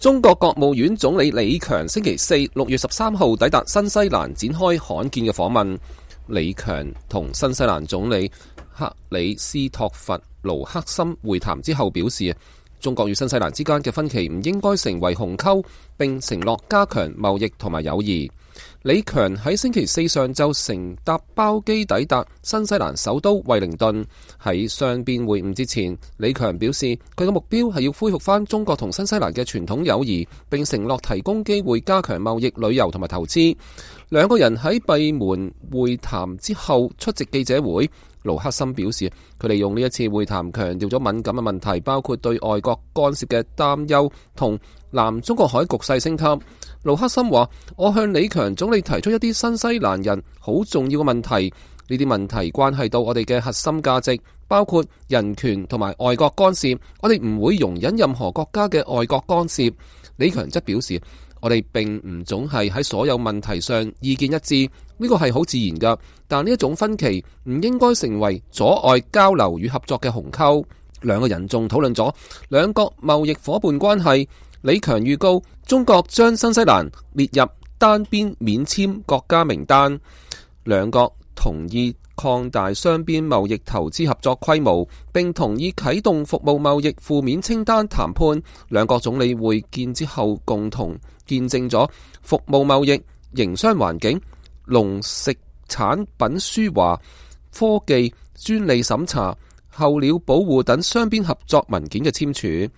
中國國務院總理李強星期四6月13號抵達新西蘭，展開罕見嘅訪問。李強同新西蘭總理克里斯托弗盧克森會談之後表示，中國與新西蘭之間嘅分歧唔應該成為鴻溝，並承諾加強貿易同埋友誼。李強喺星期四上晝乘搭包機抵達新西蘭首都惠靈頓。喺雙邊會晤之前，李強表示佢嘅目標係要恢復翻中國同新西蘭嘅傳統友誼，並承諾提供機會加強貿易、旅遊同埋投資。兩個人喺閉門會談之後出席記者會。盧克森表示，佢利用呢一次會談強調咗敏感嘅問題，包括對外國干涉嘅擔憂同南中國海局勢升級。盧克森話：我向李強總理提出一啲新西蘭人好重要嘅問題，呢啲問題關係到我哋嘅核心價值，包括人權同埋外國干涉。我哋唔會容忍任何國家嘅外國干涉。李強則表示，我哋並唔總係喺所有問題上意見一致，呢個係好自然噶。但呢一種分歧唔應該成為阻礙交流與合作嘅鴻溝。兩個人仲討論咗兩國貿易夥伴關係。李強預告中國將新西蘭列入單邊免簽國家名單。兩國同意擴大雙邊貿易投資合作規模，並同意啟動服務貿易負面清單談判。兩國總理會見之後，共同見證咗服務貿易、營商環境、農食產品輸華、科技、專利審查、候鳥保護等雙邊合作文件嘅簽署。